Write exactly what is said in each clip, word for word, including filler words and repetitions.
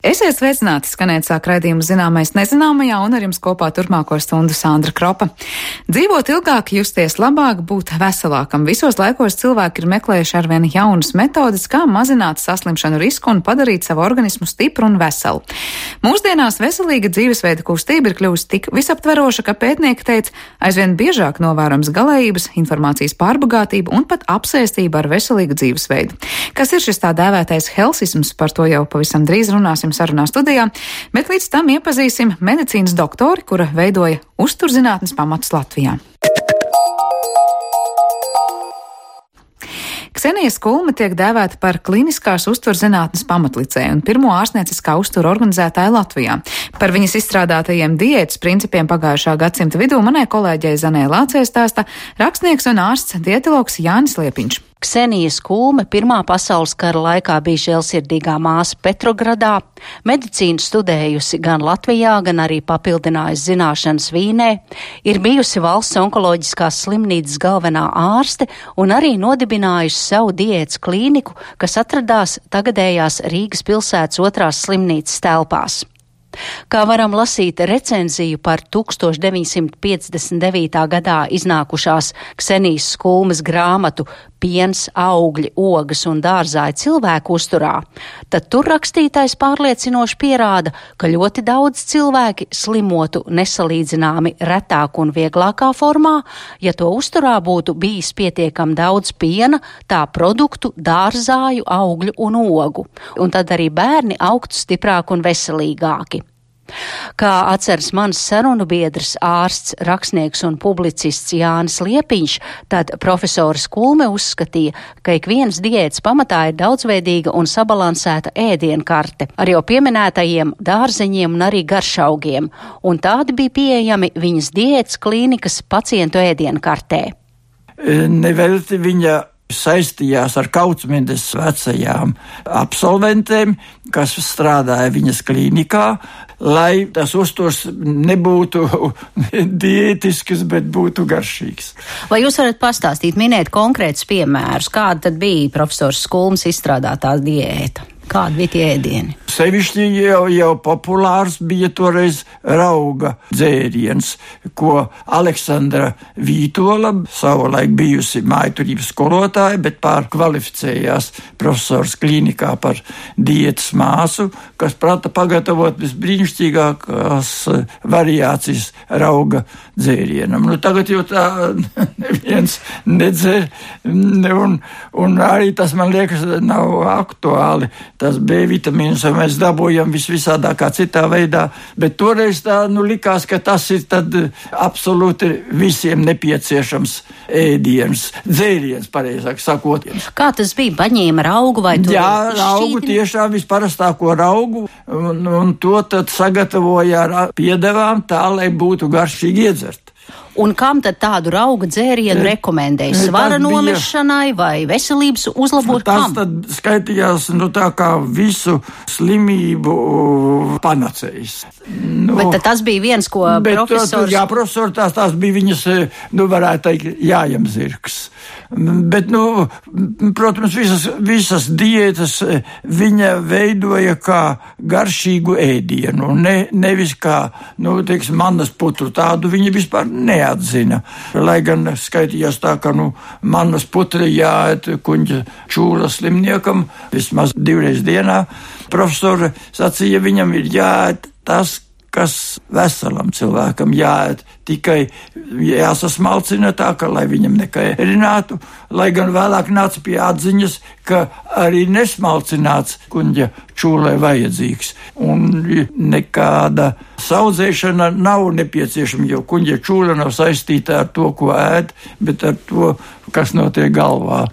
Esiet sveicināti, skanēt sāk raidījumu Zināmais nezināmajā, un ar jums kopā turpmāko stundu Sandra Kropa. Dzīvot ilgāk, justies labāk, būt veselākam. Visos laikos cilvēki ir meklējuši arvien jaunas metodes, kā mazināt saslimšanu risku un padarīt savu organismu stipru un veselu. Mūsdienās veselīga dzīvesveida kustība ir kļuvusi tik visaptveroša, ka pētnieki teica, aizvien biežāk novērojams galējības, informācijas pārbagātība un pat apsēstība ar veselīgu dzīvesveidu. Kas ir šis tā dēvētais helsisms, par to jau pavisam drīz runāsim sarunā studijā, bet līdz tam iepazīsim medicīnas doktori, kura veidoja uzturzinātnes pamatus Latvijā. Ksenija Skulme tiek dēvēta par kliniskās uzturzinātnes pamatlicēju un pirmo ārstnieciskā uztura organizētāju Latvijā. Par viņas izstrādātajiem diētas principiem pagājušā gadsimta vidū manai kolēģei Zanē Lācē stāsta rakstnieks un ārsts dietologs Jānis Liepiņš. Ksenija Skulme Pirmā pasaules kara laikā bija žēlsirdīgā māsa Petrogradā, medicīnu studējusi gan Latvijā, gan arī papildinājusi zināšanas Vīnē, ir bijusi valsts onkoloģiskās slimnīcas galvenā ārste un arī nodibinājusi savu diētas klīniku, kas atradās tagadējās Rīgas pilsētas otrās slimnīcas telpās. Kā varam lasīt recenziju par tūkstoš deviņsimt piecdesmit devītā gadā iznākušās Ksenijas Skulmes grāmatu Piens, augļi, ogas un dārzāji cilvēku uzturā, tad tur rakstītais pārliecinoši pierāda, ka ļoti daudz cilvēki slimotu nesalīdzināmi retāk un vieglākā formā, ja to uzturā būtu bijis pietiekam daudz piena, tā produktu, dārzāju, augļu un ogu, un tad arī bērni augtu stiprāk un veselīgāki. Kā atceras mans sarunu biedrs, ārsts, rakstnieks un publicists Jānis Liepiņš, tad profesora Skulme uzskatīja, ka ik viens diētas pamatā ir daudzveidīga un sabalansēta ēdienkarte ar jau pieminētajiem dārzeņiem un arī garšaugiem, un tādi bija pieejami viņas diētas klīnikas pacientu ēdienkartē. Nevelti viņa saistījās ar Kaucmendes vecajām absolventēm, kas strādāja viņas klīnikā, lai tas uzturs nebūtu diētisks, bet būtu garšīgs. Vai jūs varat pastāstīt, minēt konkrētus piemērus, kāda tad bija profesors Skulmes izstrādātā diēta? Kādi bija tie ēdieni? Sevišķi jau, jau populārs bija toreiz rauga dzēriens, ko Aleksandra Vītola, savulaik bijusi mājturības skolotāja, bet pārkvalificējās profesors klīnikā par diētas māsu, kas prata pagatavot visbrīnišķīgākās variācijas rauga dzērienam. Nu, tagad jau tā neviens nedzer, un, un arī tas, man liekas, nav aktuāli. Tas B vitamīns mēs dabūjam visvisādākā citā veidā, bet toreiz tā, nu, likās, ka tas ir tad absolūti visiem nepieciešams ēdiens, dzēriens, pareizāk sakot. Kā tas bija? Paņēma raugu vai to? Jā, raugu, tiešām visparastāko raugu, un, un to tad sagatavoja ar piedevām tā, lai būtu garšīgi iedzert. Un kam tad tādu rauga dzērienu rekomendēja? Svara nomešanai vai veselības uzlabošanai? Tas tad skaitījās, nu, tā kā visu slimību panacējs. Nu, bet tas bija viens, ko bet, profesors... Jā, profesors, tās, tās bija viņas, nu, varētu teikt, jājam zirgs. Bet, nu, protams, visas, visas diētas viņa veidoja kā garšīgu ēdienu, ne, nevis kā, nu, teiksim, manas putru, tādu viņa vispār neatzina. Lai gan skaitījās tā, ka, nu, manas putra jāēt kuņģa čūla slimniekam vismaz divreiz dienā. Profesori sacīja, viņam ir jāēt tas, kas veselam cilvēkam jāēt, tikai jāsasmalcina tā, ka, lai viņam nekairinātu, lai gan vēlāk nāca pie atziņas, ka arī nesmalcināts kuņģa čūlē vajadzīgs. Un nekāda saudzēšana nav nepieciešama, jo kuņģa čūla nav saistīta ar to, ko ēd, bet ar to, kas notiek galvā.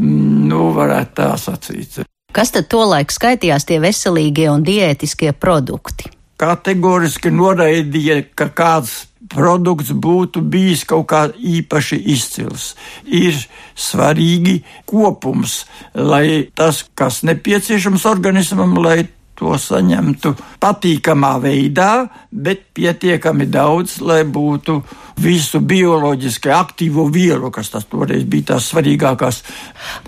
Nu, varētu tā sacīt. Kas tad tolaik skaitījās tie veselīgie un diētiskie produkti? Kategoriski noraidīja, ka kāds produkts būtu bijis kaut kā īpaši izcils. Ir svarīgi kopums, lai tas, kas nepieciešams organismam, lai to saņemtu patīkamā veidā, bet pietiekami daudz, lai būtu visu bioloģiski aktīvo vielu, kas tas toreiz bija tās svarīgākās.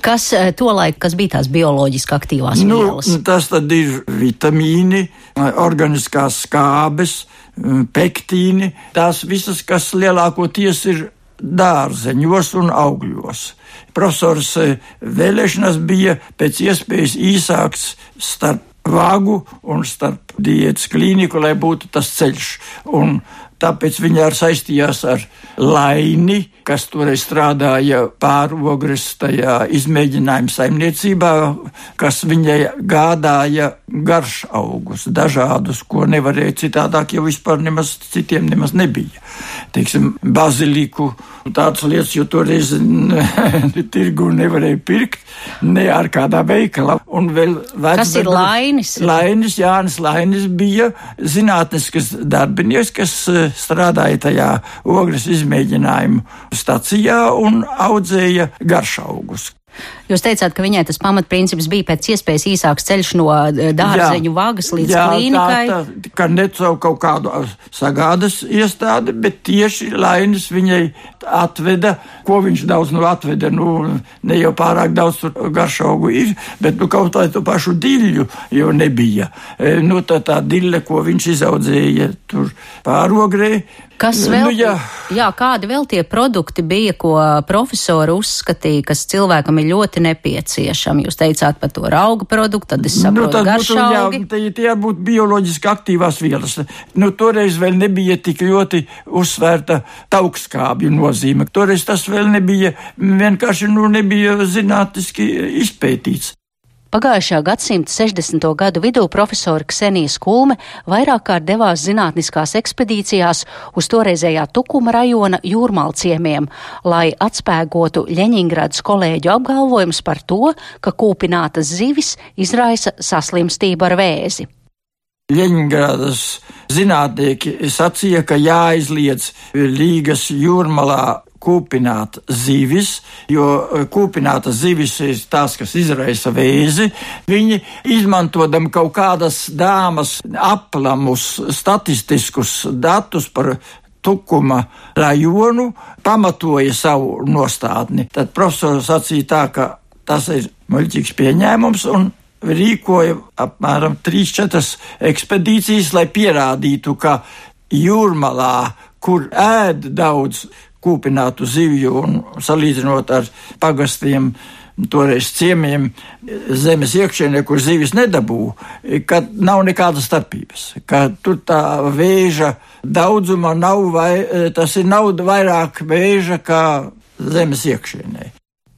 Kas tolaik, kas bija tās bioloģiski aktīvās nu, vielas? Tas tad ir vitamīni, organiskās skābes, pektīni, tās visas, kas lielākoties ir dārzeņos un augļos. Profesors vēlēšanas bija pēc iespējas īsāks starp vagu un starp diētas klīniku, lai būtu tas ceļš. Un tāpēc viņi arī saistījās ar Laini, kas toreiz strādāja pārogres tajā izmēģinājuma saimniecībā, kas viņai gādāja garšaugus, dažādus, ko nevarēja citādāk, jo vispār nemaz citiem nemaz nebija. Teiksim, baziliku, tādas lietas, jo toreiz tirgu nevarēja pirkt, ne ar kādā veikalā. Un vēl vec, kas ir Lainis? Lainis, Jānis Lainis bija zinātniskas darbinieks, kas strādāja tajā ogres izmēģinājumu stacijā un audzēja garšaugus. Jūs teicāt, ka viņai tas pamatprincips bija pēc iespējas īsāks ceļš no dārzeņu jā, vagas līdz jā, klīnikai. Jā, tā, tā, ka ne caur kaut kādu sagādas iestādi, bet tieši Lainis viņai atveda, ko viņš daudz nu atveda, nu ne jau pārāk daudz tur garšaugu ir, bet nu kaut tā to pašu diļu jau nebija. E, nu tā tā diļa, ko viņš izaudzēja tur pārogrē. Kas vēl, nu, jā. jā, kādi vēl tie produkti bija, ko profesori uzskatīja, kas cilvēkam ir ļoti nepieciešami? Jūs teicāt par to rauga produktu, tad es saprotu nu, garšaugi. Jā, tie, tie būtu bioloģiski aktīvās vielas. Nu, toreiz vēl nebija tik ļoti uzsvērta taukskābju nozīme. Toreiz tas vēl nebija, vienkārši nu, nebija zinātniski izpētīts. Pagājušā gadsimta sešdesmito gadu vidū profesori Ksenija Skulme vairāk kārt devās zinātniskās ekspedīcijās uz toreizējā Tukuma rajona jūrmalciemiem, lai atspēgotu Ļeņingradas kolēģu apgalvojumus par to, ka kūpinātas zivis izraisa saslimstību ar vēzi. Ļeņingradas zinātnieki sacīja, ka jāizliedz Rīgas jūrmalā kūpināt zivis, jo kūpinātas zivis ir tās, kas izraisa vēzi. Viņi, izmantojam kaut kādas dāmas aplamus statistiskus datus par Tukuma rajonu, pamatoja savu nostādni. Tad profesors sacīja tā, ka tas ir muļķīgs pieņēmums un rīkoja apmēram trīs četras ekspedīcijas, lai pierādītu, ka jūrmalā, kur ēd daudz kūpinātu zivju un salīdzinot ar pagastiem, toreiz ciemiem, zemes iekšienē, kur zivis nedabū, ka nav nekādas starpības, ka tur tā vēža daudzuma nav, vai, tas ir nav vairāk vēža kā zemes iekšienē.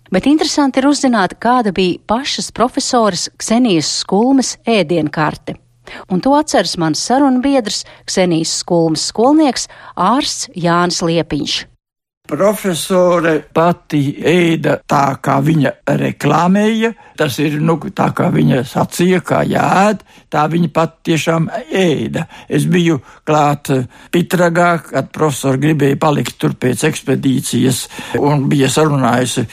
Bet interesanti ir uzzināt, kāda bija pašas profesoras Ksenijas Skulmes ēdienkarte. Un to atceras mans sarunbiedrs, Ksenijas Skulmes skolnieks, ārsts Jānis Liepiņš. Profesore pati ēda tā, kā viņa reklāmēja, tas ir, nu, tā kā viņa sacīja, kā jāēd, tā viņa pat tiešām ēda. Es biju klāt Pitragā, kad profesori gribēja palikt tur pēc ekspedīcijas un bija sarunājusi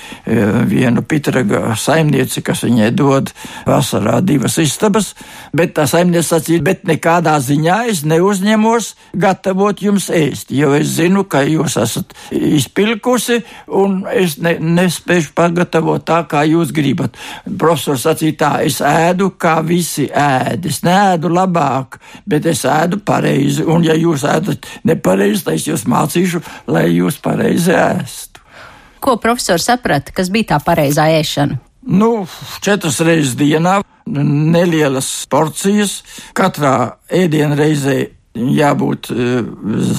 vienu Pitragā saimnieci, kas viņai dod vasarā divas istabas, bet tā saimniece sacīja, bet nekādā ziņā es neuzņemos gatavot jums ēst, jo es zinu, ka jūs esat izpilkusi, un es ne, nespēšu pagatavot tā, kā jūs gribat. Profesors sacīja tā, es ēdu, kā visi ēd. Es neēdu labāk, bet es ēdu pareizi, un ja jūs ēdat nepareizi, tad es jūs mācīšu, lai jūs pareizi ēstu. Ko profesors saprata, kas bija tā pareizā ēšana? Nu, četras reizes dienā, nelielas porcijas, katrā ēdienreizē jābūt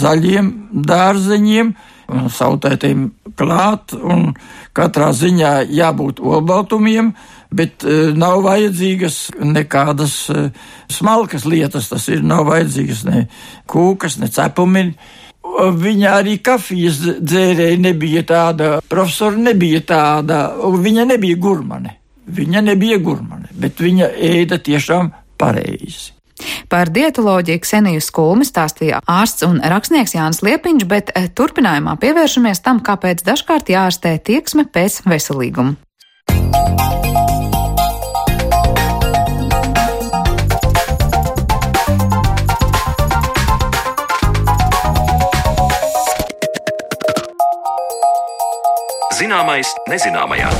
zaļiem dārzeņiem, sautētiem klāt, un katrā ziņā jābūt olbaltumiem, bet uh, nav vajadzīgas nekādas uh, smalkas lietas, tas ir, nav vajadzīgas ne kūkas, ne cepumi. Viņa arī kafijas dzērēja nebija tāda, profesora nebija tāda, viņa nebija gurmane, viņa nebija gurmane, bet viņa ēda tiešām pareizi. Par dietoloģiju Kseniju Skulmi stāstīja ārsts un rakstnieks Jānis Liepiņš, bet turpinājumā pievēršamies tam, kāpēc dažkārt jārastē tieksme pēc veselīguma. Zināmais nezināmajā.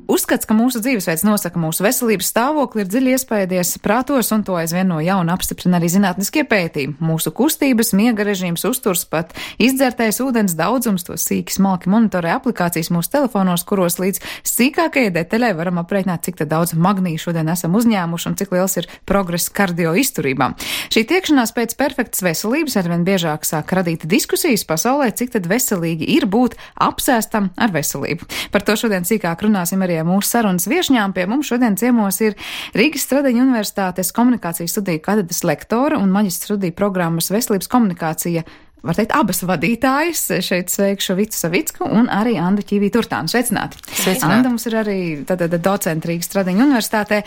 Uzskats, ka mūsu dzīvesveids nosaka mūsu veselības stāvokli, ir dziļi iespēdies prātos, un to aizvien no jauna apstiprina arī zinātniskie pētījumi. Mūsu kustības, miega režīms, uzturs, pat izdzertais ūdens daudzums, to sīki smalki monitorē aplikācijas mūsu telefonos, kuros līdz sīkākajai detaļai varam aprēķināt, cik daudz magnīju šodien esam uzņēmuši un cik liels ir progress kardio izturībā. Šī tiekšanās pēc perfektas veselības arvien biežāk sāk radīt diskusijas pasaulē, cik tad veselīgi ir būt apsēstam ar veselību. Par to šodien sīkāk runāsim arī mūsu sarunas viešņām. Pie mums šodien ciemos ir Rīgas Stradiņu Universitātes komunikācijas studiju katedras lektora un maģistra studiju programmas veselības komunikācija, var teikt, abas vadītājas. Šeit sveikšu Vicu Savicku un arī Andu Ķīvī-Turtānu. Sveicināti! Sveicināti! Anda mums ir arī tātad docenta Rīgas Stradiņu Universitātē.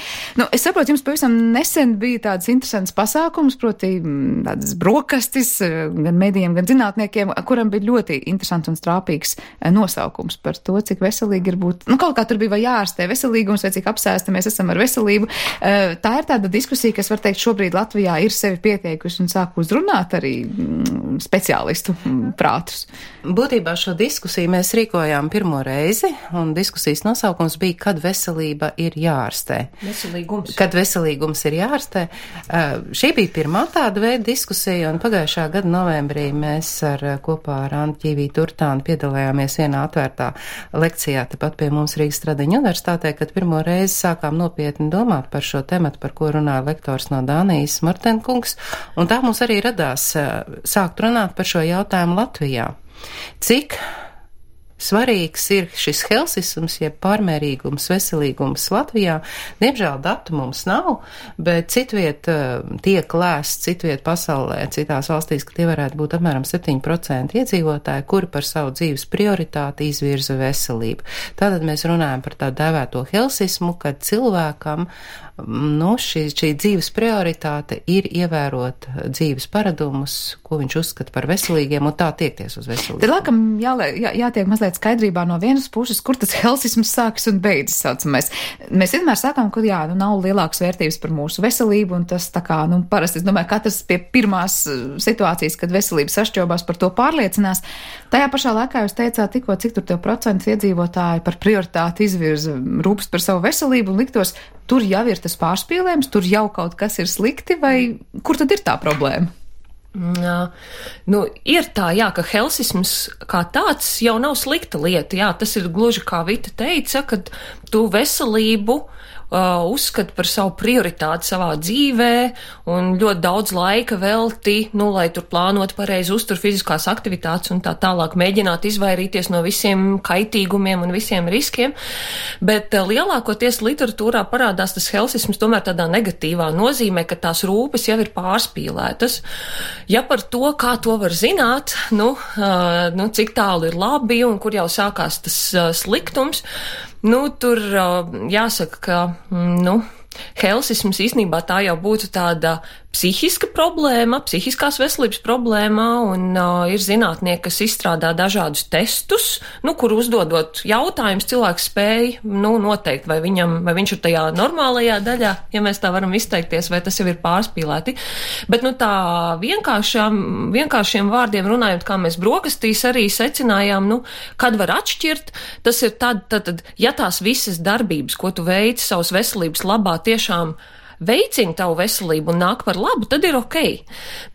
Nu, es saprotu, jums pavisam nesen bija tāds interesants pasākums, proti tādas brokastis gan medijiem, gan zinātniekiem, kuram bija ļoti interesants un strāpīgs nosaukums par to, cik veselīgi ir būt. Nu, kaut kā tur bija vai jārastē veselīgums, vai cik apsēsti mēs esam ar veselību. Tā ir tāda diskusija, kas, var teikt, šobrīd Latvijā ir sevi pieteikusi un sāk uzrunāt arī speciālistu prātus. Būtībā šo diskusiju mēs rīkojām pirmo reizi, un diskusijas nosaukums bija, kad veselība ir jārastē. Veselīgums. Kad veselīgums ir jārastē. Uh, šī bija pirmā tāda veida diskusija, un pagājušā gada novembrī mēs ar, kopā ar Andu Ķīvī-Turtānu piedalījāmies vienā atvērtā lekcijā, tepat pie mums Rīgas Stradiņu Universitātē, kad pirmo reizi sākām nopietni domāt par šo tematu, par ko runāja lektors no Dānijas Martenkungs, un tā mums arī radās uh, sākt runāt par šo jautājumu Latvijā. Cik svarīgs ir šis helsisms, jeb pārmērīgums, veselīgums Latvijā? Diemžēl datu mums nav, bet citviet tiek lēsts, citviet pasaulē, citās valstīs, ka tie varētu būt apmēram septiņi procenti iedzīvotāji, kuri par savu dzīves prioritāti izvirza veselību. Tātad mēs runājam par tā dēvēto helsismu, kad cilvēkam nu, šī, šī dzīves prioritāte ir ievērot dzīves paradumus, ko viņš uzskata par veselīgiem, un tā tiekties uz veselību. Tad, laikam, jā, jā, jātiek mazliet skaidrībā no vienas puses, kur tas helsisms sākas un beidzas, saucamais. Mēs vienmēr sākam, ka jā, nu, nav lielākas vērtības par mūsu veselību, un tas tā kā, nu, parasti, es domāju, katrs pie pirmās situācijas, kad veselība sašķobās, par to pārliecinās. Tajā pašā laikā jūs teicāt tikko, cik tur tev procents iedzīvotāji par prioritāti izvirza rūpes par savu veselību, un liktos, tur jau ir tas pārspīlējums, tur jau kaut kas ir slikti, vai kur tad ir tā problēma? Jā, nu, ir tā, jā, ka helsisms kā tāds jau nav slikta lieta, jā, tas ir gluži kā Vita teica, ka tu veselību uh, uzskati par savu prioritāti savā dzīvē un ļoti daudz laika velti, nu, lai tur plānot pareizi uztur fiziskās aktivitātes un tā tālāk mēģināt izvairīties no visiem kaitīgumiem un visiem riskiem, bet uh, lielākoties literatūrā parādās tas helsisms tomēr tādā negatīvā nozīmē, ka tās rūpes jau ir pārspīlētas. Ja par to, kā to var zināt, nu, uh, nu cik tālu ir labi un kur jau sākās tas uh, sliktums, nu, tur uh, jāsaka, ka, mm, nu, helsisms īstenībā tā jau būtu tāda psihiska problēma, psihiskās veselības problēma, un uh, ir zinātnieki, kas izstrādā dažādus testus, nu, kur uzdodot jautājumus, cilvēks spēj, nu, noteikt, vai viņam, vai viņš ir tajā normālajā daļā, ja mēs tā varam izteikties, vai tas jau ir pārspīlēti. Bet, nu, tā vienkāršām, vienkāršiem vārdiem runājot, kā mēs brokastīs arī secinājām, nu, kad var atšķirt, tas ir tad, tad, tad, ja tās visas darbības, ko tu veici savas veselības labā, tiešām veicina tavu veselību un nāk par labu, tad ir ok.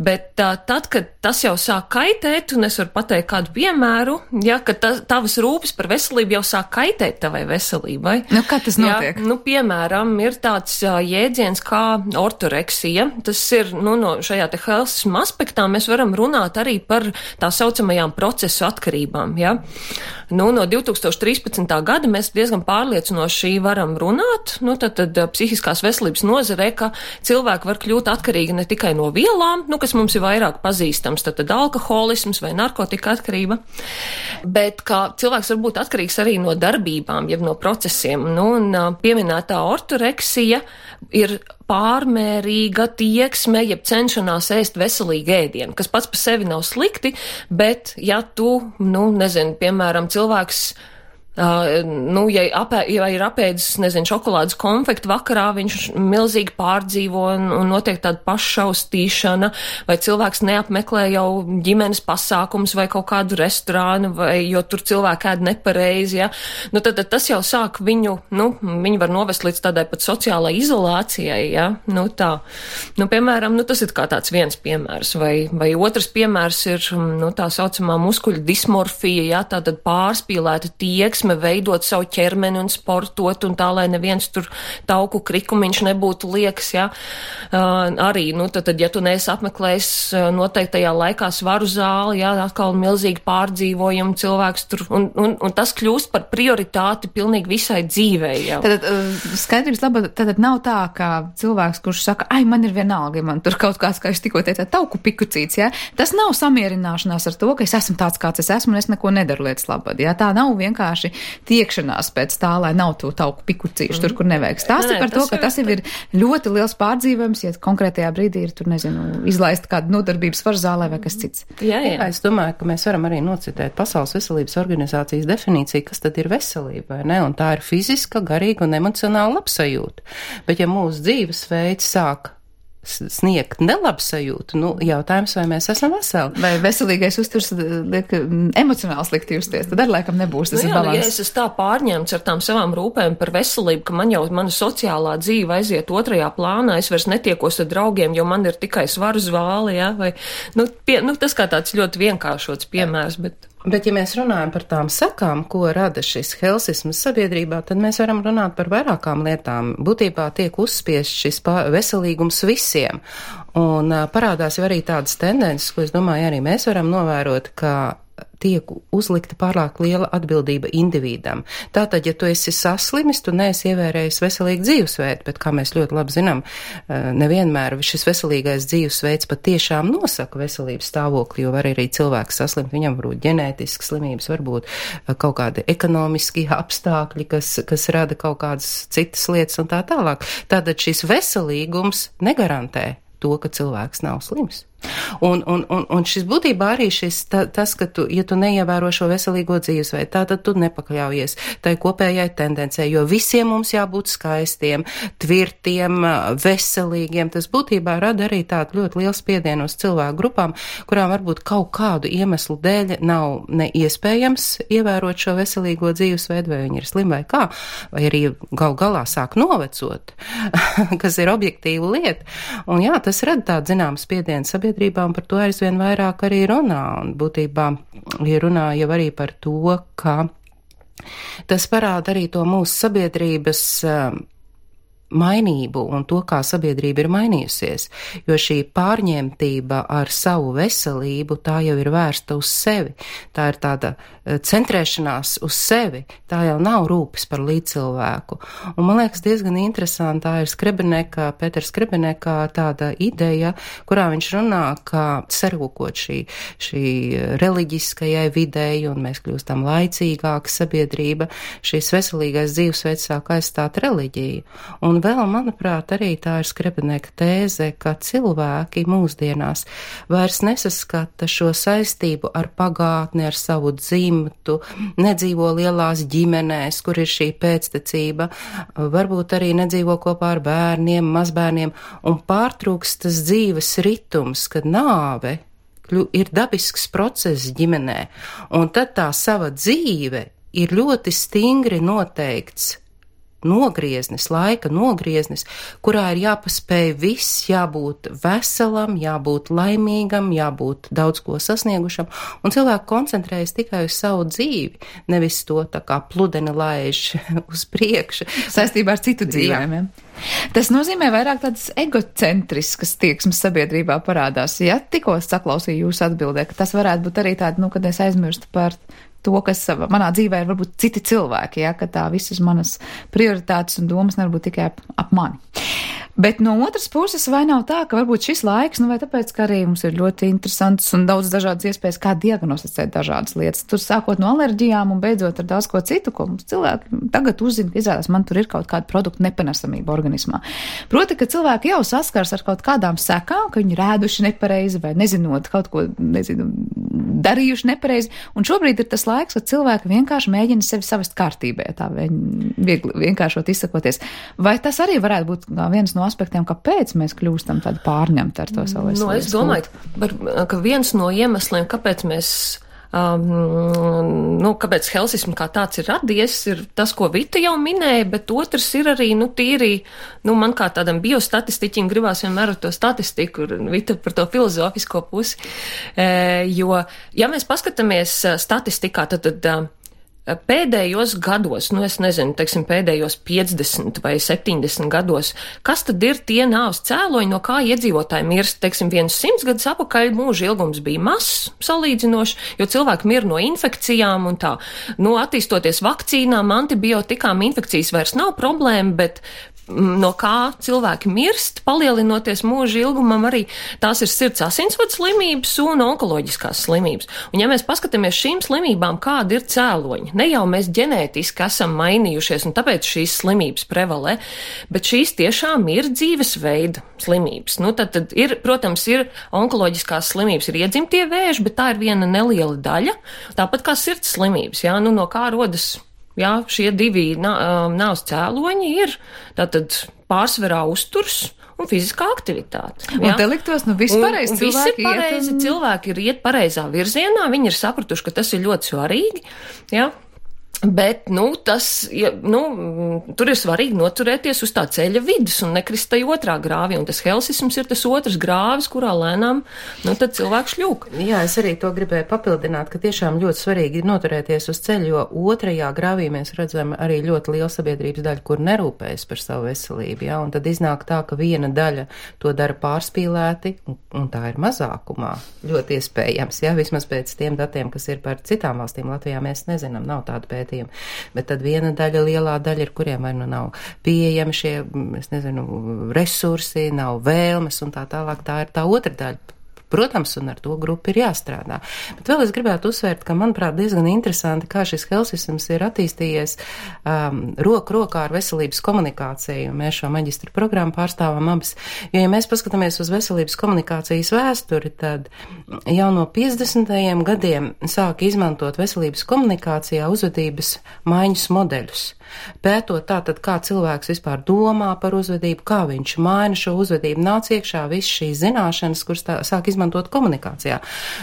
Bet tā, tad, kad tas jau sāk kaitēt, un es varu pateikt kādu piemēru, ja, ka ta, tavas rūpes par veselību jau sāk kaitēt tavai veselībai. Nu, kā tas notiek? Ja, nu, piemēram, ir tāds uh, jēdziens kā ortoreksija. Tas ir, nu, no šajā te helsisma aspektā mēs varam runāt arī par tā saucamajām procesu atkarībām, ja. Nu, no divi tūkstoši trīspadsmitā gada mēs diezgan pārliecinoši varam runāt, nu, tad, tad psihiskās veselības nozare, ka cilvēki var kļūt atkarīgi ne tikai no vielām, nu, kas mums ir vairāk pazīstams, tad, tad alkoholisms vai narkotika atkarība, bet ka cilvēks var būt atkarīgs arī no darbībām, jeb no procesiem. Nu, un pieminētā ortoreksija ir pārmērīga tieksme, jeb cenšanās ēst veselīgu ēdienu, kas pats par sevi nav slikti, bet ja tu, nu, nezinu, piemēram, cilvēks Uh, nu, ja, apē, ja ir apēdis, nezinu, šokolādes konfektu vakarā, viņš milzīgi pārdzīvo un, un notiek tāda pašaustīšana, vai cilvēks neapmeklē jau ģimenes pasākums vai kaut kādu restorānu, vai jo tur cilvēki ēd nepareizi, ja. Nu, tad, tad tas jau sāk viņu, nu, viņi var novest līdz tādai pat sociālai izolācijai, ja. Nu, tā. Nu, piemēram, nu, tas ir kā tāds viens piemērs, vai, vai otrs piemērs ir, nu, tā saucamā muskuļu dismorfija, ja, tātad pārspīlēta tieksme, veidot savu ķermeni un sportot un tā, lai neviens tur tauku krikumiņš nebūtu liekas, ja. Uh, arī, nu, tad, tad, ja tu neesi apmeklējis noteiktajā laikā svaru zāli, ja, atkal milzīgi pārdzīvojumu cilvēks tur, un, un, un tas kļūst par prioritāti pilnīgi visai dzīvei, ja. Tad skaidrības labā, tad nav tā, ka cilvēks, kurš saka, ai, man ir vienalga, ja man tur kaut kāds, kā es tikko teicu, tauku pikucīts, ja, tas nav samierināšanās ar to, ka es esmu tāds, kāds es esmu, un es neko nedaru lietas labad, ja, tā nav vienkārši tiekšanās pēc tā, lai nav to tauku pikucīšu mm. tur, kur nevajag. Stāsti par to, ka tas jau ir ļoti liels pārdzīvojums, ja konkrētajā brīdī ir tur, nezinu, izlaista kādu nodarbības svarzālē vai kas cits. Jā, jā. Es domāju, ka mēs varam arī nocitēt Pasaules veselības organizācijas definīciju, kas tad ir veselība, vai ne? Un tā ir fiziska, garīga un emocionāla labsajūta. Bet ja mūsu dzīvesveids sāk sniegt nelabsajūtu, nu, jautājums, vai mēs esam veseli. Vai veselīgais uzturs liek emocionāli slikti justies, tad arī laikam nebūs tas nu, jā, balans. Ja es esmu tā pārņemts ar tām savām rūpēm par veselību, ka man jau mana sociālā dzīve aiziet otrajā plānā, es vairs netiekos ar draugiem, jo man ir tikai svaru zvāli, ja, vai, nu, pie, nu, tas kā tāds ļoti vienkāršots piemērs, bet... Bet, ja mēs runājam par tām sekām, ko rada šis helsisms sabiedrībā, tad mēs varam runāt par vairākām lietām. Būtībā tiek uzspiest šis veselīgums visiem. Un parādās jau arī tādas tendences, ko es domāju, arī mēs varam novērot, ka tiek uzlikta pārāk liela atbildība individam. Tātad, ja tu esi saslimis, tu neesi ievērējis veselīgu dzīvesveidu, bet, kā mēs ļoti labi zinām, nevienmēr šis veselīgais dzīvesveids patiešām nosaka veselības stāvokli, jo var arī cilvēks saslimt, viņam varbūt ģenētiskas slimības, varbūt kaut kādi ekonomiski apstākļi, kas, kas rada kaut kādas citas lietas un tā tālāk. Tātad šis veselīgums negarantē to, ka cilvēks nav slims. Un, un, un, un šis būtībā arī šis, ta, tas, ka tu, ja tu neievēro šo veselīgo dzīvesveidu, tātad tu nepakļaujies tai kopējai tendencei, jo visiem mums jābūt skaistiem, tvirtiem, veselīgiem. Tas būtībā rada arī tādu ļoti lielu spiedienu uz cilvēku grupām, kurām varbūt kaut kādu iemeslu dēļ nav neiespējams ievērot šo veselīgo dzīvesveidu, vai viņi ir slimi vai kā, vai arī gal galā sāk novecot, kas ir objektīva lieta. Un jā, tas rada tādu zināmu spiedienu sabiedrībā. Un par to aizvien vairāk arī runā, un būtībā ja runā jau arī par to, ka tas parāda arī to mūsu sabiedrības uh, mainību un to, kā sabiedrība ir mainījusies, jo šī pārņemtība ar savu veselību, tā jau ir vērsta uz sevi, tā ir tāda centrēšanās uz sevi, tā jau nav rūpes par līdzcilvēku. Un man liekas diezgan interesanti, tā ir Skrebineka, Pēters Skrebineka tāda ideja, kurā viņš runā, ka sarūkot šī, šī reliģiskajai videi un mēs kļūstam laicīgāka sabiedrība, šīs veselīgais dzīvesveids sāk aizstāt reliģiju. Un vēl, manuprāt, arī tā ir Skrebineka tēze, ka cilvēki mūsdienās vairs nesaskata šo saistību ar pagātni, ar savu dzīvi, nedzīvo lielās ģimenēs, kur ir šī pēctecība, varbūt arī nedzīvo kopā ar bērniem, mazbērniem, un pārtrūkst tas dzīves ritums, kad nāve ir dabisks process ģimenē, un tad tā sava dzīve ir ļoti stingri noteikts nogrieznis, laika nogrieznis, kurā ir jāpaspēj viss, jābūt veselam, jābūt laimīgam, jābūt daudz ko sasniegušam, un cilvēki koncentrējas tikai uz savu dzīvi, nevis to tā kā pludeni laiž uz priekšu. Saistībā ar citu dzīvēm. Tas nozīmē vairāk tādas egocentriskas tieksmes sabiedrībā parādās. Ja tikko saklausīju jūsu atbildē, ka tas varētu būt arī tāda, nu, kad es aizmirstu par to, kas manā dzīvē ir varbūt citi cilvēki, ja, ka tā visas manas prioritātes un domas nevar būt tikai ap, ap mani. Bet no otras puses, vai nav tā, ka varbūt šis laiks, nu vai tāpēc, ka arī mums ir ļoti interesants un daudz dažādas iespējas, kā diagnosticēt dažādas lietas. Tur sākot no alerģijām un beidzot ar daudz ko citu, ko mums cilvēki tagad uzzina, ka izrādās, man tur ir kaut kāda produkta nepanesamība organismā. Proti, ka cilvēki jau saskars ar kaut kādām sekām, ka viņi rēduši nepareizi vai nezinot kaut ko, nezinu, darījuši nepareizi. Un šobrīd ir tas laiks, kad cilvēki vienkārši mēģina sevi savest kārtībā, tā viegli vienkāršot izsakoties. Vai tas arī varētu būt viens no aspektiem, kāpēc mēs kļūstam tādi pārņemti ar to savu veselības? No, es domāju, ka, ka viens no iemesliem, kāpēc mēs, um, nu, kāpēc helsismu kā tāds ir radies, ir tas, ko Vita jau minēja, bet otrs ir arī, nu, tīri, nu, man kā tādam biostatistiķim gribās vienmēr ar to statistiku, Vita par to filozofisko pusi, e, jo, ja mēs paskatāmies statistikā, tad, tad pēdējos gados, nu es nezinu, teiksim, pēdējos piecdesmit vai septiņdesmit gados, kas tad ir tie nāves cēloņi, no kā iedzīvotāji mirst, teiksim, viens simts gadus apakaļ mūža ilgums bija mazs salīdzinoši, jo cilvēki mir no infekcijām un tā. Nu, attīstoties vakcīnām, antibiotikām, infekcijas vairs nav problēma, bet no kā cilvēki mirst, palielinoties mūža ilgumam, arī tās ir sirds asinsvadu slimības un onkoloģiskās slimības. Un ja mēs paskatāmies šīm slimībām, kādi ir cēloņi, ne jau mēs ģenētiski esam mainījušies un tāpēc šīs slimības prevalē, bet šīs tiešām ir dzīvesveida slimības. Nu, tad, tad ir, protams, ir onkoloģiskās slimības, ir iedzimtie vēži, bet tā ir viena neliela daļa, tāpat kā sirds slimības, jā, nu no kā rodas. Jā, šie divi nāves cēloņi ir tātad pārsvarā uzturs un fiziskā aktivitāte. Jā. Un te liktos, nu viss pareizi, un, un visi ir pareizi, iet un... cilvēki ir iet pareizā virzienā, viņi ir sapratuši, ka tas ir ļoti svarīgi, jā. Bet, nu, tas, ja, nu, tur ir svarīgi noturēties uz tā ceļa vidus un nekrist tai otrā grāvī, un tas helsisms ir tas otrs grāvis, kurā lēnām, nu, tad cilvēks šļūk. Jā, es arī to gribēju papildināt, ka tiešām ļoti svarīgi ir noturēties uz ceļa, jo otrajā grāvī mēs redzam arī ļoti lielu sabiedrības daļu, kur nerūpējas par savu veselību, jā, un tad iznāk tā, ka viena daļa to dara pārspīlēti, un, un tā ir mazākumā. Ļoti iespējams, jā, vismaz pēc tiem datiem, kas ir par citām valstīm. Latvijā mēs nezinām, nav tāda pētījuma. Bet tad viena daļa, lielā daļa ir, kuriem vai nu nav pieejami šie, es nezinu, resursi, nav vēlmes un tā tālāk, tā ir tā otra daļa. Protams, un ar to grupu ir jāstrādā. Bet vēl es gribētu uzsvērt, ka, manuprāt, diezgan interesanti, kā šis helsisms ir attīstījies um, roku rokā ar veselības komunikāciju. Mēs šo maģistra programmu pārstāvam abas. Jo, ja mēs paskatāmies uz veselības komunikācijas vēsturi, tad jau no piecdesmitajiem gadiem sāk izmantot veselības komunikācijā uzvedības maiņas modeļus. Pētot tātad, kā cilvēks vispār domā par uzvedību, kā viņš maina šo uzvedību, nāc iekšā viss šīs zināšanas, kuras tā, sāk izmantot komunikācijā.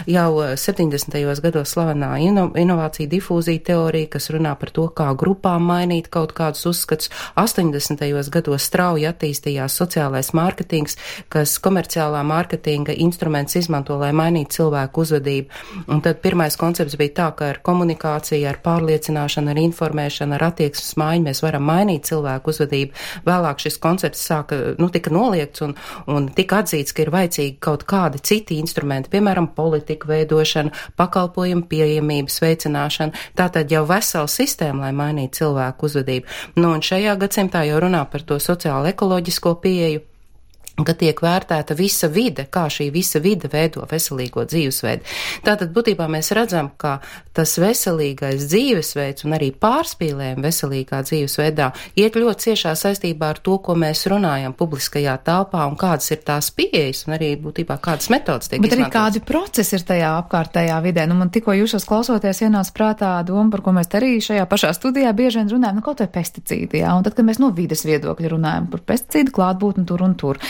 Jau septiņdesmitajos gados slavenā ino, inovācija difūzija teorija, kas runā par to, kā grupām mainīt kaut kādus uzskatus. astoņdesmitajos gados strauji attīstījās sociālais mārketings, kas komerciālā mārketinga instruments izmanto, lai mainītu cilvēku uzvedību. Un tad pirmais koncepts bija tā, ka ar komunikāciju, ar pārliecināšanu, ar informēšanu, ar attieksmes maiņu mēs varam mainīt cilvēku uzvedību. Vēlāk šis koncepts sāka, nu, tika noliegts un, un tika atzīts, ka ir vajadzīgi kaut kādi citi instrumenti, piemēram, politika veidošana, pakalpojumu pieejamības veicināšana. Tātad jau vesela sistēma, lai mainītu cilvēku uzvedību. Nu, un šajā gadsimtā jau runā par to sociālo ekoloģisko pieeju, ka tiek vērtēta visa vide, kā šī visa vide veido veselīgo dzīvesveidu. Tātad būtībā mēs redzam, ka tas veselīgais dzīvesveids un arī pārspīlējumi veselīgā dzīvesveidā iet ļoti ciešā saistībā ar to, ko mēs runājam publiskajā telpā un kādas ir tās pieejas un arī būtībā kādas metodas tiek Bet izmantotas. arī kādi procesi ir tajā apkārtējā vidē. Nu, man tikko jūsos klausoties ienāca prātā doma, par ko mēs arī šajā pašā studijā bieži vien runājam, nu kaut vai pesticīdi, jā, un tad, kad mēs no vides viedokļa runājam par pesticīdu klātbūtni tur un tur.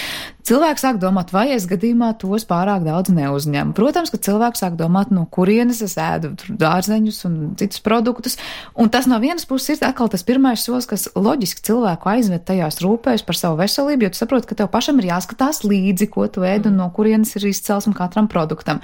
Cilvēks sāk domāt, vai es gadījumā tos pārāk daudz neuzņemu. Protams, ka cilvēks sāk domāt, no kurienes es ēdu dārzeņus un citus produktus, un tas no vienas puses ir atkal tas pirmais solis, kas loģiski cilvēku aizved tajās rūpēs par savu veselību, jo tu saproti, ka tev pašam ir jāskatās līdzi, ko tu ēd un no kurienes ir izcelsme katram produktam.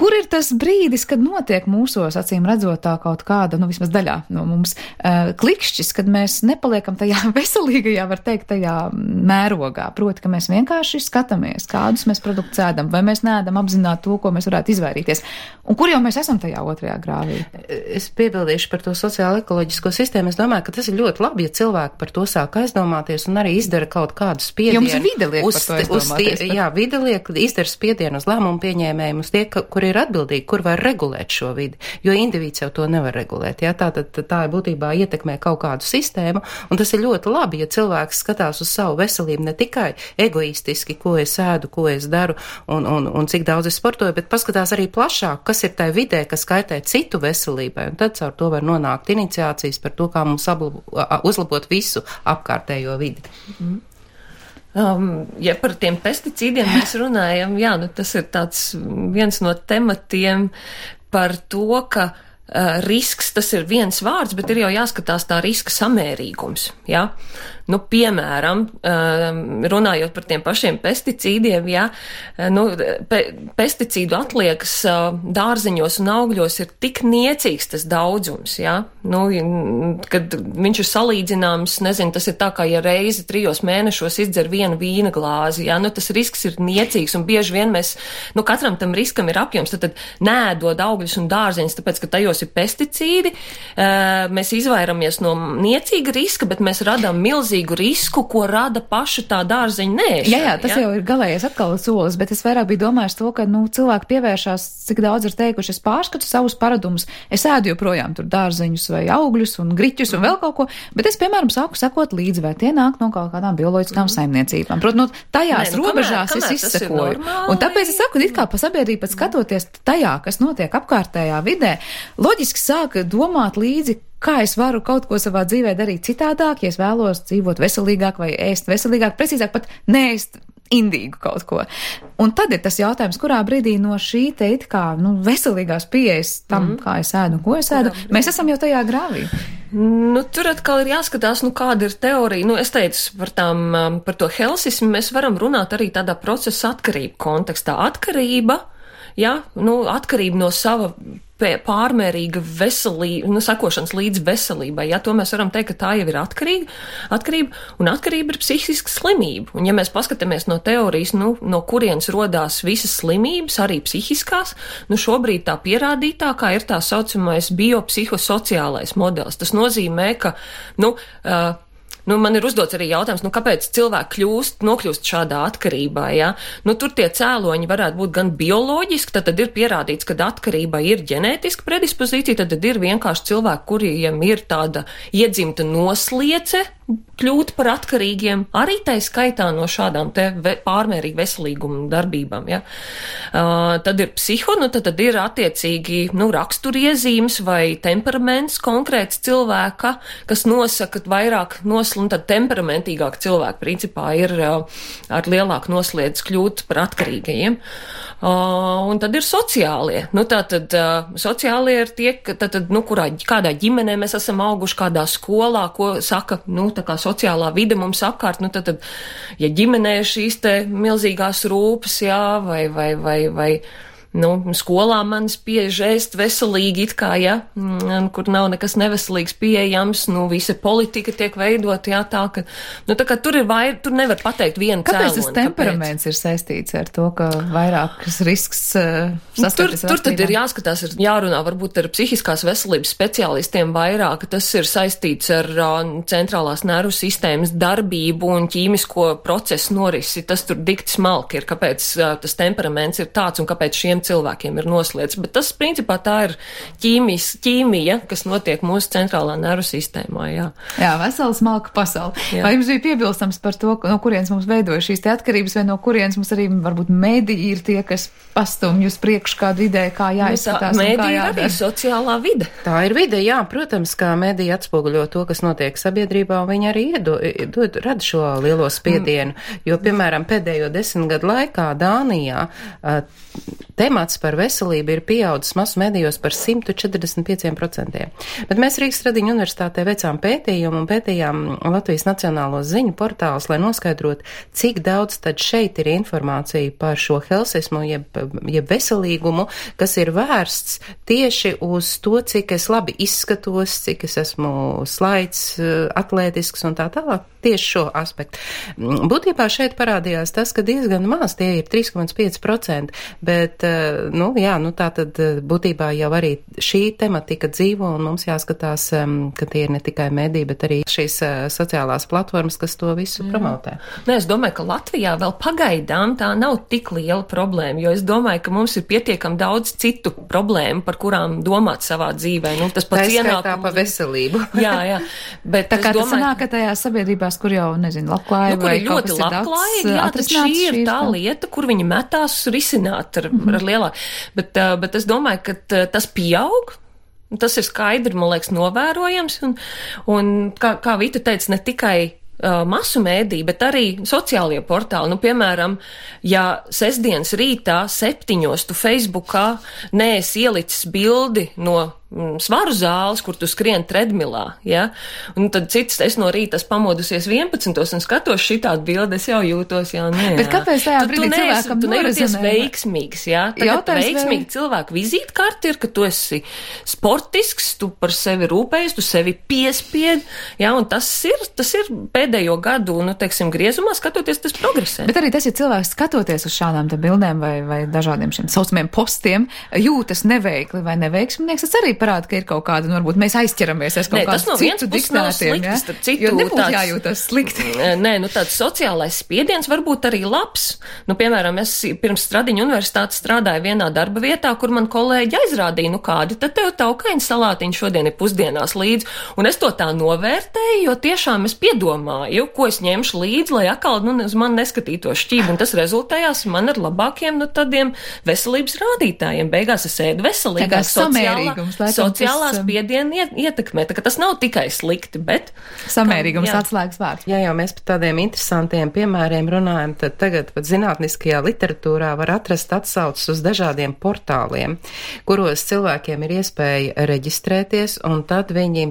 Kur ir tas brīdis, kad notiek mūsos, acīm redzot, tā kaut kāda, nu vismaz daļā no mums, uh, klikšķis, kad mēs nepaliekam tajā veselīgajā, var teikt, tajā mērogā? Proti, ka mēs vienkārši skatāmies, kādus mēs produktus ēdam, vai mēs neēdam apzināt to, ko mēs varētu izvairīties. Un kur jau mēs esam tajā otrajā grāvī? Es piebildīšu par to sociālo ekoloģisko sistēmu. Es domāju, ka tas ir ļoti labi, ja cilvēki par to sāk aizdomāties un arī izdara kaut kādu spiedienu. Jums vide liek uz, par to aizdomāties. Uz tie, jā, vide liek, izdara spiedienu uz lēmumu pieņēmējiem, uz tie, ka, kur ir atbildīgi, kur var regulēt šo vidi, jo indivīds jau to nevar regulēt. Jā, tā, tā, tā ir būtībā ietekmē kaut kādu sistēmu, un tas ir ļoti labi, ja cilvēks skatās uz savu veselību ne tikai egoistiski, ko es ēdu, ko es daru un, un, un cik daudz es sportoju, bet paskatās arī plašāk, kas ir tai vidē, kas kaitē citu veselībai, un tad caur to var nonākt iniciācijas par to, kā mums ablabo, uzlabot visu apkārtējo vidi. Mm. Um, ja par tiem pesticīdiem mēs runājam, jā, nu tas ir tāds viens no tematiem par to, ka uh, risks, tas ir viens vārds, bet ir jau jāskatās tā riska samērīgums, jā. Nu, piemēram, runājot par tiem pašiem pesticīdiem, ja, nu, pe, pesticīdu atliekas dārziņos un augļos ir tik niecīgs tas daudzums, ja, nu, kad viņš ir salīdzināms, nezinu, tas ir tā kā, ja reizi trijos mēnešos izdzer vienu vīna glāzi, ja, nu, tas risks ir niecīgs un bieži vien mēs, nu, katram tam riskam ir apjoms, tad, tad nēdod augļus un dārziņus, tāpēc, ka tajos ir pesticīdi, mēs izvairamies no niecīga riska, bet mēs radām milzīgi risku, ko rada paša tā dārzeņa nēšana. Jā, jā, tas jā? jau ir galējais atkal solis, bet es vairāk biju domājis to, ka, nu, cilvēki pievēršās, cik daudz ir teikuši, es pārskatu savus paradumus, es ēdu joprojām tur dārzeņus vai augļus un griķus un vēl kaut ko, bet es, piemēram, sāku sekot līdzi, vai tie nāk no kaut kādām bioloģiskām mm. saimniecībām. Protams, nu, tajās Nē, nu, robežās kamēr, kamēr es izsekoju. Un tāpēc es saku, it kā pa sabiedrību pat skatoties tajā, kas notiek apkārtējā vidē, loģiski sāk domāt līdzi, kā es varu kaut ko savā dzīvē darīt citādāk, ja es vēlos dzīvot veselīgāk vai ēst veselīgāk, precīzāk pat neēst indīgu kaut ko. Un tad ir tas jautājums, kurā brīdī no šī te it kā, nu, veselīgās pieejas tam, mm. kā es ēdu un ko es ēdu, mēs esam jau tajā grāvī. Nu, tur atkal ir jāskatās, nu, kāda ir teorija. Nu, es teicu par tām, par to helsismu, mēs varam runāt arī tādā procesa atkarību kontekstā. Atkarība, jā, nu, atkarība no sava pārmērīga veselība, nu, sakošanas līdz veselībai, ja, to mēs varam teikt, ka tā jau ir atkarīga, atkarība, un atkarība ir psihiska slimība. Un ja mēs paskatāmies no teorijas, nu, no kurienes rodās visas slimības, arī psihiskās, nu, šobrīd tā pierādītākā ir tā saucamais biopsihosociālais modelis. Tas nozīmē, ka, nu, uh, Nu, man ir uzdots arī jautājums, nu, kāpēc cilvēki kļūst, nokļūst šādā atkarībā, ja? Nu, tur tie cēloņi varētu būt gan bioloģiski, tad, tad ir pierādīts, ka atkarība ir ģenētiska predispozīcija, tad, tad ir vienkārši cilvēki, kuriem ir tāda iedzimta nosliece kļūt par atkarīgiem, arī tai skaitā no šādām te ve, pārmērīgi veselīguma darbībām, ja. Uh, tad ir psiho, nu, tad, tad ir attiecīgi, nu, raksturiezīmes vai temperaments konkrēts cilvēka, kas nosaka vairāk nosl, un tad temperamentīgāk cilvēki principā ir uh, ar lielāku nosliedz kļūt par atkarīgajiem. Uh, un tad ir sociālie. Nu, tātad uh, sociālie ir tie, ka, tātad, nu, kurā, kādā ģimenē mēs esam auguši, kādā skolā, ko saka, nu, tā kā sociālā vide mums apkārt, nu, tad, tad ja ģimenē šīs te milzīgās rūpes, jā, vai, vai, vai, vai, nu, skolā manis pieež ēst veselīgi it kā, ja, kur nav nekas neveselīgs pieejams, nu, visa politika tiek veidot, jā, tā, ka, nu, tā kā tur ir vai, tur nevar pateikt vienu cēloni. Kāpēc tas temperaments kāpēc? Ir saistīts ar to, ka vairākas risks uh, sastapjas? Tur, tur tad ir jāskatās, ir jārunā varbūt ar psihiskās veselības speciālistiem vairāk, tas ir saistīts ar uh, centrālās nervu sistēmas darbību un ķīmisko procesu norisi, tas tur dikti smalki ir, kāpēc uh, tas temperaments ir tāds un kāpēc šiem cilvēkiem ir nosliedz, bet tas principā tā ir ķīmijas, ķīmija, kas notiek mūsu centrālā nervu sistēmā, jā. Jā, vesela smalka pasaule. Jā. Vai jums bija piebilstams par to, no kurienes mums veidoja šīs te atkarības, vai no kurienes mums arī varbūt mediji ir tie, kas pastumj uz priekšu kādu ideju, kā jāizskatās nu, un kā jādara? Mediji ir arī sociālā vide. Tā ir vide, jā, protams, kā mediji atspoguļo to, kas notiek sabiedrībā, un viņi arī iedo, dod, rada šo lielo spiedienu, mm. jo, piemēram, pēdējo desmit gadu laikā Dānijā temats par veselību ir pieaudzis masu medijos par simt četrdesmit pieciem procentiem. Bet mēs Rīgas Tradiņu universitātē veicām pētījumu un pētījām Latvijas Nacionālo ziņu portālus, lai noskaidrot, cik daudz tad šeit ir informācija par šo helsismu, jeb, jeb veselīgumu, kas ir vērsts tieši uz to, cik es labi izskatos, cik es esmu slaids, atlētisks un tā tālāk. Tieši šo aspektu. Būtībā šeit parādījās tas, ka diezgan maz, tie ir trīs komats pieci procenti, bet, nu, jā, nu, tā tad būtībā jau arī šī tematika dzīvo, un mums jāskatās, ka tie ir ne tikai mediji, bet arī šīs sociālās platformas, kas to visu mm. promotē. Nē, es domāju, ka Latvijā vēl pagaidām tā nav tik liela problēma, jo es domāju, ka mums ir pietiekami daudz citu problēmu, par kurām domāt savā dzīvē. Nu, tas pats ienākums. Pa veselību. Jā, jā. Bet tā kā domāju, tas sanāk, ka tajās sabiedrībās, kur jau, nezinu, labklājība nu, vai ir kaut kas ir labklājīgi, jā, tad šī ir tā lieta, kur viņi metās risināt ar, mm-hmm. ar lielāku. Bet, bet es domāju, ka tas pieaug. Tas ir skaidri, man liekas, novērojams. Un, un kā, kā Vita teica, ne tikai uh, masu mēdī, bet arī sociālie portāli. Nu, piemēram, ja sestdienas rītā septiņos tu Facebookā neesi ielicis bildi no svaru zāles, kur tu skrien tredmilā, ja? Un tad cits, es no rīta pamodusies vienpadsmitos un skatos šitādu bildi, es jau jūtos, jā, nē, jā. Bet kāpēc tajā brīdī tu cilvēkam tu nejūties norezinē? Veiksmīgs, jā? Tagad veiksmīgi vai... cilvēku vizītkarti ir, ka tu esi sportisks, tu par sevi rūpējies, tu sevi piespied, jā, un tas ir, tas ir pēdējo gadu, nu, teiksim, griezumā skatoties, tas progresē. Bet arī tas, ja cilvēks skatoties uz šādām te bildēm vai, vai dažādiem šiem saucamiem postiem, jūtas neveikli vai neveiksminieks, tas arī parāda, ka ir kaut kāda, nu, varbūt mēs aizķeramies aiz kaut kādu citu diktētiem, ja? Citu, jo nebūtu tāds, jājūtas slikti. Nē, nu tāds sociālais spiediens varbūt arī labs. Nu, piemēram, es pirms Stradiņu universitātes strādāju vienā darba vietā, kur man kolēģi aizrādīja, nu kādi, tad tev taukaiņa salātiņa šodien ir pusdienās līdzi, un es to tā novērtēju, jo tiešām es piedomāju, ko es ņemšu līdzi, lai atkal, nu, uz mani neskatītos šķīvi, un tas rezultējās man ar labākiem, nu, tādiem veselības rādītājiem. Beigās es ēdu veselīgāk, sociālā, sociālā spiediena ietekmē. Tā, tas nav tikai slikti, bet... Samērīgums atslēgas vārds. Jā, jau mēs par tādiem interesantiem piemēriem runājam, tad tagad pat zinātniskajā literatūrā var atrast atsaucas uz dažādiem portāliem, kuros cilvēkiem ir iespēja reģistrēties, un tad viņi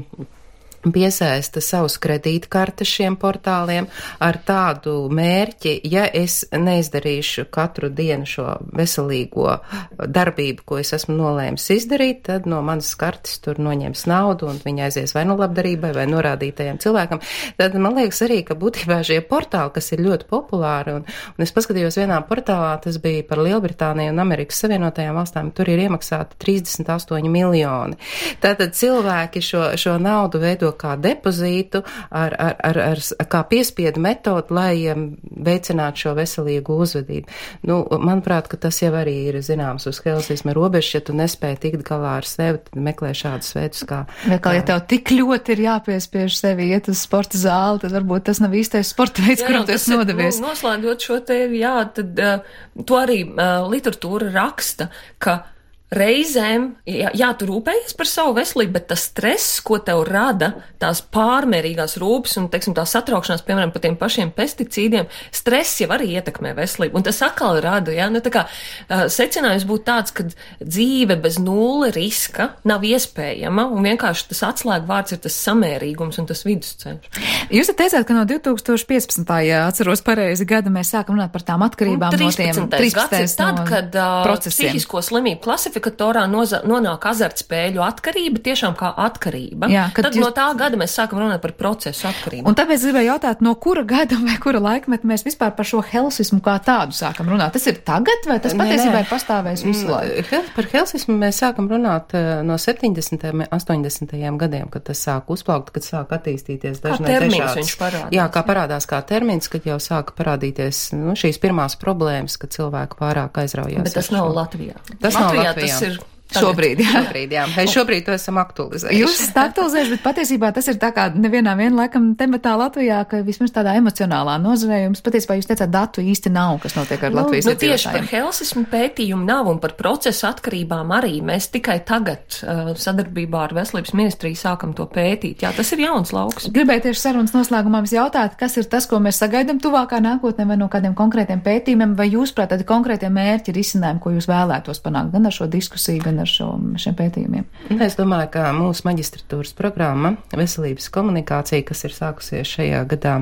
piesaista savus kredītkartes šiem portāliem ar tādu mērķi, ja es neizdarīšu katru dienu šo veselīgo darbību, ko es esmu nolēmis izdarīt, tad no manas kartes tur noņems naudu un viņi aizies vai nu labdarībai vai norādītajiem cilvēkam. Tad man liekas arī, ka būtībā šie portāli, kas ir ļoti populāri, un, un es paskatījos vienā portālā, tas bija par Lielbritāniju un Amerikas Savienotajām valstīm, tur ir iemaksāti trīsdesmit astoņi miljoni. Tātad cilvēki šo, šo naudu veido kā depozītu, ar, ar, ar, ar, kā piespiedu metodu, lai um, veicinātu šo veselīgu uzvedību. Nu, manuprāt, ka tas jau arī ir zināms uz helsisma robežas, ja tu nespēji tikt galā ar sevi, tad meklē šādus veidus kā... Vai kā, ja tev tik ļoti ir jāpiespiež sevi iet uz sporta zāli, tad varbūt tas nav īstais sporta veids, kuram tu esi nodevies. Nu, noslēdzot šo te, jā, tad uh, to arī uh, literatūra raksta, ka reizēm, jā, jā, tu rūpējies par savu veselību, bet tas stress, ko tev rada, tās pārmērīgās rūpes un, teiksim, tā satraukšanās, piemēram, par tiem pašiem pesticīdiem, stress jau arī ietekmē veselību. Un tas atkal rada, jā, nu tā kā uh, secinājums būtu tāds, ka dzīve bez nulle riska nav iespējama, un vienkārši tas atslēgvārds ir tas samērīgums un tas vidusceļš. Jūs teicāt, ka no divi tūkstoši piecpadsmitā, ja atceros pareizi gada, mēs sākam runāt par tām atkarībām no tiem trīspadsmitais tad, kad uh, procesiem. Psihisko slimību klasifikatorā noza, nonāk azartspēļu atkarība, tiešām kā atkarība. Jā, tad jūs... no tā gada mēs sākam runāt par procesu atkarību. Un tāpēc gribēju jautāt, no kura gada vai kura laikmeta mēs vispār par šo helsismu kā tādu sākam runāt? Tas ir tagad, vai tas patiesībā ir pastāvējis visu laiku? Par helsismu mēs sākam runāt no septiņdesmitajiem, astoņdesmitajiem gadiem, kad tas sāk uzplaukt, kad sāk attīstīties dažnai viņš parādās. Jā, kā parādās kā termins, kad jau sāka parādīties nu, šīs pirmās problēmas, kad cilvēki pārāk aizraujās. Bet tas nav Latvijā. Tas Latvijā nav Latvijā. Tas ir Šobrīd, jā. Šobrīd, jā. Mēs šobrīd to esam aktualizējuši. Jūs esat aktualizējuši, bet patiesībā tas ir tā kā nevienā vien laikam tematā Latvijā, ka vismaz tādā emocionālā nozarē jums patiesībā jūs teicāt, datu īsti nav, kas notiek ar nu, Latvijas nu, tieši par iedzīvotājiem. helsismu pētījumu nav un par procesu atkarībām arī. Mēs tikai tagad uh, sadarbībā ar Veselības ministriju sākam to pētīt. Jā, tas ir jauns lauks. Gribēju tieši sarunas noslēgumā jums jautāt, kas ir tas, ko mēs sagaidām tuvākā nākotnē vai no kādiem konkrētiem pētījumiem, vai jūs, prāt, tādi konkrētie mērķi ir izcinājumi, ko jūs vēlētos panākt gan ar šo diskusiju, gan ar šo, šiem pētījumiem? Es domāju, ka mūsu maģistratūras programma Veselības komunikācija, kas ir sākusies šajā gadā,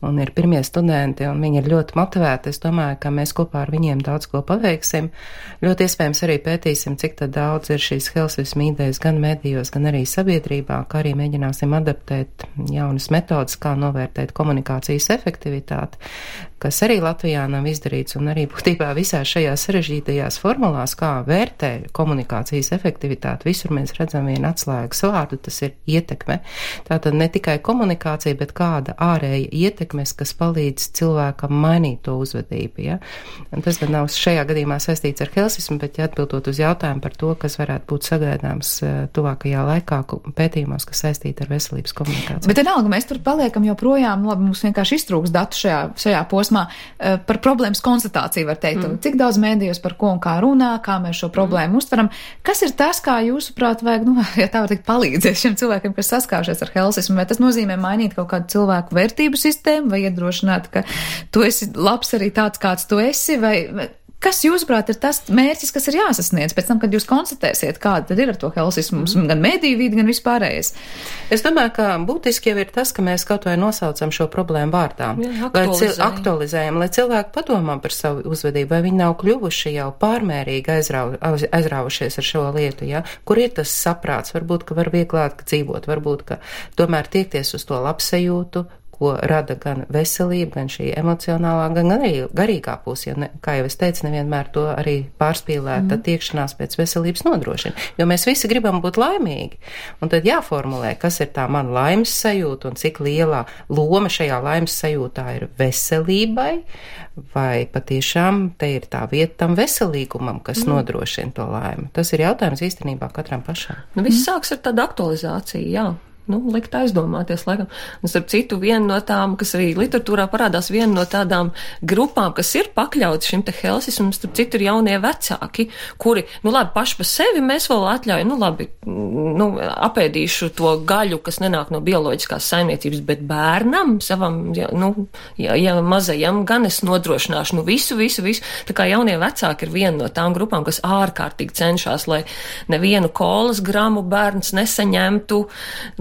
un ir pirmie studenti, un viņi ir ļoti motivēti. Es domāju, ka mēs kopā ar viņiem daudz ko paveiksim. Ļoti iespējams arī pētīsim, cik tad daudz ir šīs helsismu idejas gan medijos, gan arī sabiedrībā, kā arī mēģināsim adaptēt jaunas metodas, kā novērtēt komunikācijas efektivitāti, kas arī Latvijā nav izdarīts, un arī būtībā visās šajās sarežģītajās formulās, kā vērtē komunikācijas efektivitāti. Visur mēs redzam vienu atslēgas vārdu, tas ir ietekme. Tātad ne tikai komunikācija, bet kāda ārēja ietekmes, kas palīdz cilvēkam mainīt to uzvedību. Ja? Un tas gan nav šajā gadījumā saistīts ar helsismu, bet ja atbildot uz jautājumu par to, kas varētu būt sagaidāms tuvākajā laikā pētījumos, kas saistīti ar veselības komunikāciju. Bet vienalga, mēs tur paliekam joprojām, labi, mums vienkārši iztrūks datu šajā, šajā posmā par problēmas konstatāciju, var teikt, mm. cik daudz mēdījos par ko un kā runā, kā mēs šo problēmu mm. uztveram. Kas ir tas, kā jūsuprāt vajag, nu, ja tā var teikt, palīdzēt šiem cilvēkiem, kas saskāršies ar helsismu, vai tas nozīmē mainīt kaut kādu cilvēku vērtību sistēmu, vai iedrošināt, ka tu esi labs arī tāds, kāds tu esi, vai kas, jūsuprāt, ir tas mērķis, kas ir jāsasniedz pēc tam, kad jūs konstatēsiet, kāda tad ir ar to helsismu, mm. gan mediju vidi, gan vispārējais? Es domāju, ka būtiski jau ir tas, ka mēs kaut vai nosaucam šo problēmu vārdā. Jā, lai cil- aktualizējam, lai cilvēki padomā par savu uzvedību, vai viņi nav kļuvuši jau pārmērīgi aizrau, aizraujušies ar šo lietu, ja? Kur ir tas saprāts, varbūt, ka var vieglāk dzīvot, varbūt, ka tomēr tiekties uz to labsajūtu, ko rada gan veselība, gan šī emocionālā, gan arī garīgā puse, jo, ne, kā jau es teicu, nevienmēr to arī pārspīlēta mm. tiekšanās pēc veselības nodrošina, jo mēs visi gribam būt laimīgi, un tad jāformulē, kas ir tā man laimes sajūta un cik lielā loma šajā laimes sajūtā ir veselībai, vai patiešām te ir tā vieta tam veselīgumam, kas mm. nodrošina to laimi. Tas ir jautājums īstenībā katram pašam. Nu, viss mm. sāks ar tādu aktualizāciju, jā. Nu, likt aizdomāties, laikam. Un starp citu, viena no tām, kas arī literatūrā parādās, viena no tādām grupām, kas ir pakļauts šim te helsismam, starp citu ir jaunie vecāki, kuri, nu labi, paši pa sevi mēs vēl atļaujam, nu labi, nu, apēdīšu to gaļu, kas nenāk no bioloģiskās saimniecības, bet bērnam, savam, ja, nu, ja, ja mazajam, gan es nodrošināšu, nu visu, visu, visu. Tā kā jaunie vecāki ir viena no tām grupām, kas ārkārtīgi cenšas, lai nevienu kolas gramu bērns nesaņemtu,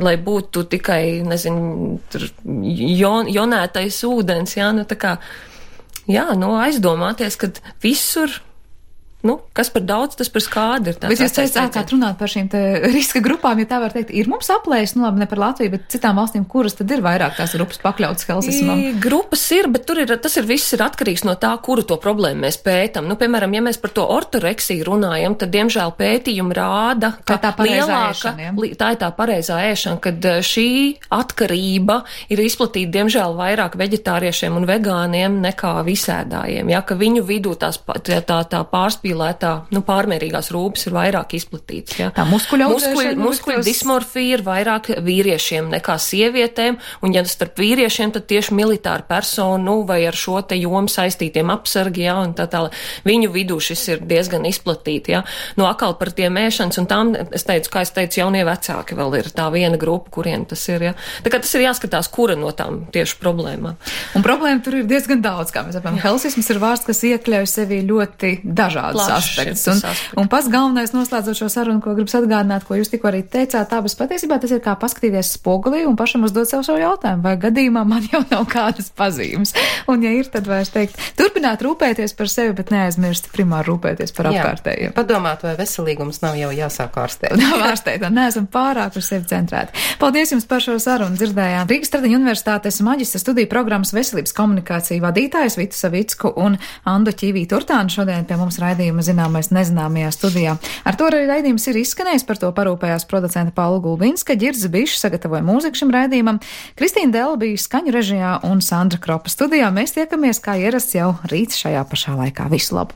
lai būtu tikai, nezinu, tur jon, jonētais ūdens, jā, nu tā kā, jā, nu aizdomāties, kad visur, nu, kas par daudz, tas par skādi ir. Bet jūs sākāt runāt par šīm te riska grupām, ja tā var teikt, ir mums aplēs, nu labi, ne par Latviju, bet citām valstīm, kuras tad ir vairāk tās grupas pakļautas helsismam? Grupas ir, bet tur ir, tas ir viss ir atkarīgs no tā, kuru to problēmu mēs pētam. Nu, piemēram, ja mēs par to ortoreksiju runājam, tad, diemžēl, pētījumi rāda, ka tā, tā lielāka, ēšana, li, tā ir tā pareizā ēšana, kad šī atkarība ir izplatīta, diemžēl, vairāk veģetāriešiem un vegāniem nekā visēdājiem, ja, ka viņu vidū tās, tā, tā, tā pārspīlētā, nu, pārmērīgās rūpes ir vairāk izplatīts. Ja. Tā muskuļa muskuļu, muskuļu dismorfija ir vairāk vīriešiem nekā sievietēm, un ja starp vīriešiem, tad tieši militāra persona, nu, vai ar šo te jomu saistītiem apsargi, ja, un tā tā, viņu vidū šis ir diezgan izplatīti, ja. Nu, akal par tiem ēšanas, un tām, es teicu, kā es teicu, jaunie vecāki vēl ir tā viena grupa, kuriem tas ir, ja. Tā kā tas ir jāskatās, kura no tām tieši problēmām. Un problēma tur ir diezgan daudz, kā mēs saprotam. Helsisms ir vārds, kas iekļauj sevi ļoti dažādus aspektus. Un, un pats galvenais noslēdzot šo sarunu, ko gribas atgādināt, ko jūs tikko arī teicāt, tā, bet patiesībā tas ir kā paskatīties spogulī un pašam uzdot sev šo jautājumu, vai gadījumā man jau nav kādas pazīmes. Un ja ir, tad vairs teikt, turpināt rūpēties par sevi, bet neaizmirst primāri rūpēties par apkārtējiem. Padomāt, vai veselīgums nav jau jāsāk ārstēt. Nav ārstēt, un neesam pārāk uz sevi centrēti. Paldies jums par šo sarunu. Dzirdējām Rīgas Tradiņu universitātes maģistra studiju programmas veselības komunikācija vadītājs Vitu Savicku un Andu Ķīvītu Urtānu šodien pie mums raidījuma Zināmais nezināmajā studijā. Ar to arī raidījums ir izskanējis, par to parūpējās producenta Paula Gulbinska, Ģirds Bišs sagatavoja mūziku šim raidījumam, Kristīna Dela bija skaņu režijā un Sandra Kropa studijā. Mēs tiekamies kā ierasts jau rīt šajā pašā laikā. Visu labu!